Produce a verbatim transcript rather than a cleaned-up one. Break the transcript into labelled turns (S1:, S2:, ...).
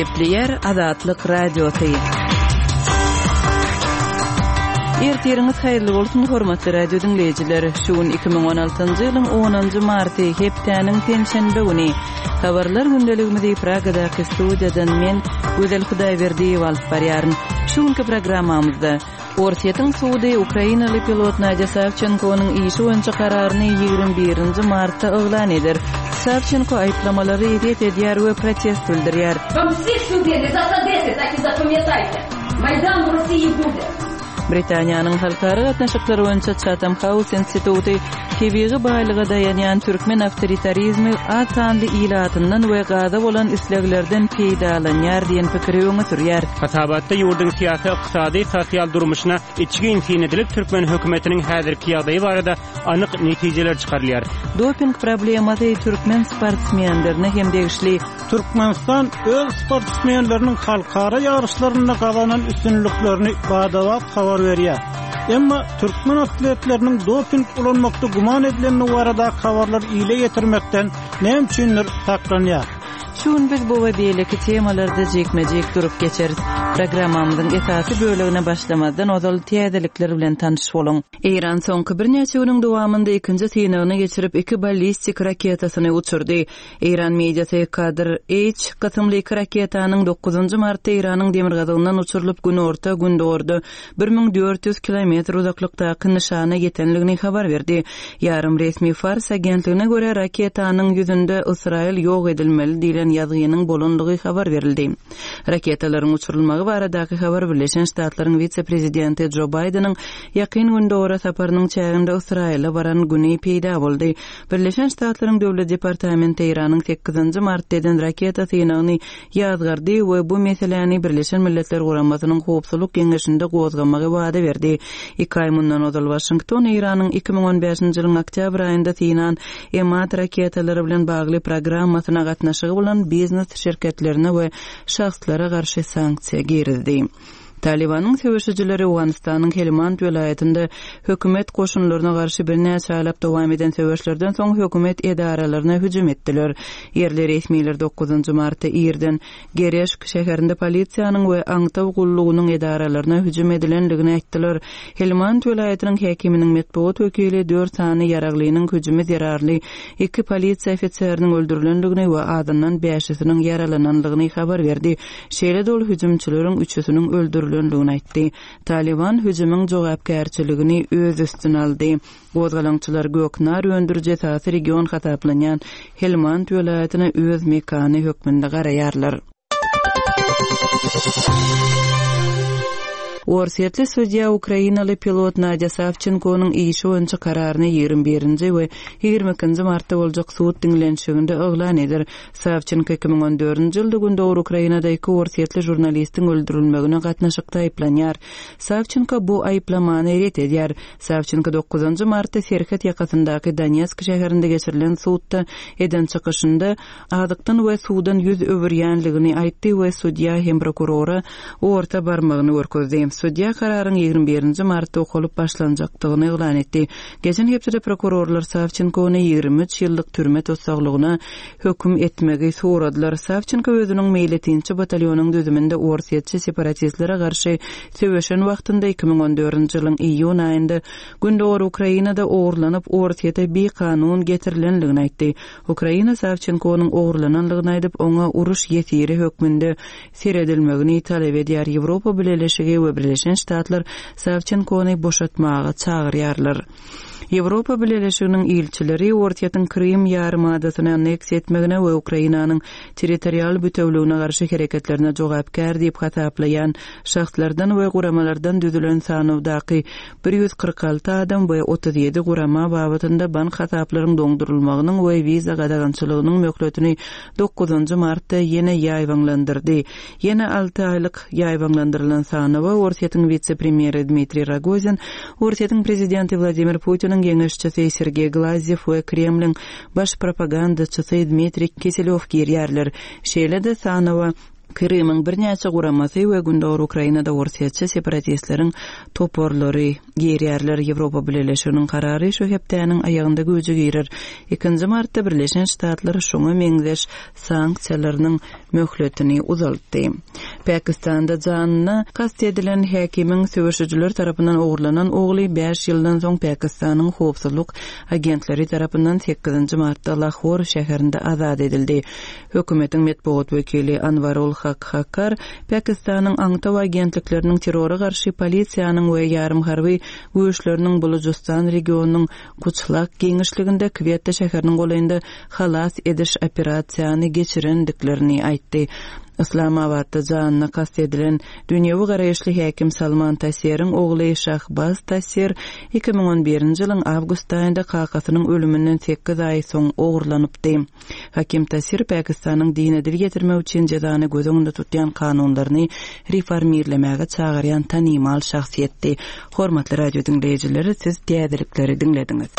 S1: Gepleýär Azatlyk Radiosy. Ertiriňiz haýyrly bolsun, hormatly radio diňleýjiler. Şu gün iki müň on altynjy ýylyň onunjy marty, hepdäniň penşenbe güni. Habarlar gündeligimizi Pragadaky studiýadan men, Gözel Hudaýberdiýewa alyp barýaryn. Şu günki programmamyzda Orsýetiň sudy ukrainaly pilot Nadýa Sawçenkonyň işi boýunça kararyny ýigrimi birinji martda yglan eder. Sawçenko aýyplamalary ret edýär we protest bildirýär.
S2: Вам всіх сюди не засадити, так і запам'ятайте. Майдан в Росії буде.
S1: Britaniýanyň halkara gatnaşyklary boýunça Chatham House instituty tebigy baýlyga daýanýan türkmen awtoritarizmi az sanly ilatyndan we gaza bolan isleglerden peýdalanýar diýen pikiri öňe sürýär.
S3: Hasabatda ýurduň syýasy, ykdysady, sosial durmuşyna içgin syn edilip, türkmen hökümetiniň häzirki ýagdaýy barada anyk netijeler çykarylýar.
S1: Doping problemasy türkmen sportsmenlerine hem degişli.
S4: Türkmenistan öz sportsmenleriniň halkara ýaryşlarynda gazanan üstünliklerini badabat habar berýär. Emma türkmen atletleriniň doping ulanmakda güman edilenligi barada habarlar ile ýetirmekden näme üçindir saklanýar.
S1: Şu gün biz bu we beýleki temalarda jikme-jik durup geçeris. Programmamyzyň esasy bölegine başlamazdan ozal täzelikler bilen tanyş boluň. Eýran soňky birnäçe günüň dowamynda ikinji synagyny geçirip iki ballistik raketasyny uçurdy. Eýran mediasy Kadr H kysymly iki raketanyň dokuzynjy martda Eýranyň demirgazygyndan uçurylyp günorta gündogarda bir müň dört ýüz kilometr uzaklykdaky nyşana ýetenligini habar berdi. Ýarym resmi Fars agentligine görä raketanyň ýüzünde Ysraýyl ýok edilmeli diýlen ýazgynyň bolanlygy habar berildi. Raketalaryň uçurylmagy baradaky habar Birleşen Ştatlaryň wise-prezidenti Joe Biden'iň ýakyn gündogara saparynyň çäginde Ysraýyla baran güni peýda boldy. Birleşen Ştatlaryň Döwlet Departamenti Eýranyň sekizinji martda eden raketa synagyny ýazgardy we bu meseläni Birleşen Milletler Guramasynyň Howpsuzlyk Geňeşinde gozgamagy wada berdi. Iki aý mundan ozal Washington Eýranyň iki müň on bäşinji ýylyň oktýabr aýynda synan Emad raketalary bilen bagly programmasyna gatnaşygy bolan biznes şirketlerine we şahslara garşy sanksiýa girizdi. Talibanyň söweşijileri Owganystanyň Helmand welaýatynda hökümet goşunlaryna garşy birnäçe aýlap dowam eden söweşlerden soň hökümet edaralaryna hüjüm etdiler. Ýerli resmiler dokuzynjy martda irden Gereşk şäherinde polisiýanyň we aňtaw gullugynyň edaralaryna hüjüm edilenligini aýtdylar. Helmand welaýatynyň häkiminiň metbugat wekili dört sany ýaraglynyň hüjümi zerarly iki polisiýa ofiseriniň öldürilenligini we adyndan bäşisiniň ýaralananlygyny habar berdi. Şeýle-de ol hüjümçileriň üçüsiniň öldürilenligini aýtdy. Taliban hüjümiň jogapkärçiligini öz üstüne aldy. Gozgalaňçylar Göknar öndüriji esasy region hasaplanýan Helmand welaýatyna öz mekany hökmünde garaýarlar. Orsýetli sudýa Ukrainaly pilot Nadýa Sawçenkonyň işi boýunça kararyny ýigrimi birinji we ýigrimi ikinji martda boljak sud diňlenişiginde yglan eder. Sawçenko iki müň on dördünji ýylda Gündogar Ukrainada iki orsýetli žurnalistiň öldürilmegine gatnaşykda aýyplanýar. Sawçenko bu aýyplamany ret edýär. Sawçenko dokuzynjy martda Serhet ýakasyndaky Donetsk şäherinde geçirilen sudda eden çykyşynda azykdan we suwdan ýüz öwürýänligini aýtdy we sudýa hem prokurora orta barmagyny görkezdi. Sudýa kararyň ýigrimi birinji martda okalyp başlanjakdygyny yglan etdi. Geçen hepdede prokurorlar Sawçenkony ýigrimi üç ýyllyk türme tussaglygyna höküm etmegi soradylar. Sawçenko özüniň meýletinçi batalýonyň düzüminde orsýetçi separatistlere garşy söweşen wagtynda iki müň on dördünji ýylyň iýun aýynda Gündogar Ukrainada ogurlanyp Orsýete bikanun getirilenligini aýtdy. Ukraina Sawçenkonyň ogurlananlygyny aýdyp, oňa uruş ýesiri hökmünde seredilmegini talap edýär. Ýewropa Bileleşigi we Birleşen Ştatlar Sawçenkony boşatmaga çagyrýarlar. Ýewropa Bileleşiginiň ilçileri Orsýetiň Krym ýarymadasyny anneksiýa etmegine we Ukrainanyň territorial bütewligine garşy hereketlerine jogapkär diýip hasaplaýan şahslardan we guramalardan düzülen sanawdaky bir ýüz kyrk alty adam we otuz ýedi gurama babatynda bank hasaplaryň doňdurylmagynyň we wiza gadagançylygynyň möhletini dokuzynjy martda ýene ýaýbaňlandyrdy. Ýene alty aýlyk ýaýbaňlandyrylan sanawa Orsýetiň wise-premýeri Dmitriý Rogozin, Orsýetiň prezidenti Wladimir Putiniň geňeşçisi Sergey Glazyev we Kremliň baş propagandaçysy Dmitriý Kiselýow girýärler. Şeýle-de sanawa Krymyň birnäçe guramasy we Gündogar Ukrainada orsýetçi separatistleriň toparlary girýärler. Ýewropa Bileleşiginiň karary şu hepdäniň aýagynda güýje girer. Ikinji martda Birleşen Ştatlar şuňa meňzeş sanksiýalarynyň möhletini uzaltdy. Pakistanda janyna kast edilen häkimiň söweşijiler tarapyndan ogurlanan ogly bäş ýyldan soň Pakistanyň howpsuzlyk agentleri tarapyndan sekizinji martda Lahor şäherinde azat edildi. Hökümetiň metbugat wekili Anwarul Hak Kakar Pakistanyň aňtaw agentlikleriniň terrora garşy polisiýanyň we ýarym harby güýçleriniň Bulujystan regionynyň Kuçlak giňişliginde Kwetta şäheriniň golaýynda halas ediş operasiýany geçirendiklerini aýtdy. Yslamabatda janyna kast edilen dünýewi garaýyşly häkim Salman Tasiriň ogly Şahbaz Tasir iki müň on birinji ýylyň awgust aýynda kakasynyň ölüminden sekiz aý soň ogurlanypdy. Hakim Tasir Pakistanyň dine dil ýetirmek üçin jezany göz öňünde tutýan kanunlaryny reformirlemäge çagyrýan tanymal şahsyýetdi. Hormatly radio diňleýjiler, siz täzelikleri diňlediňiz.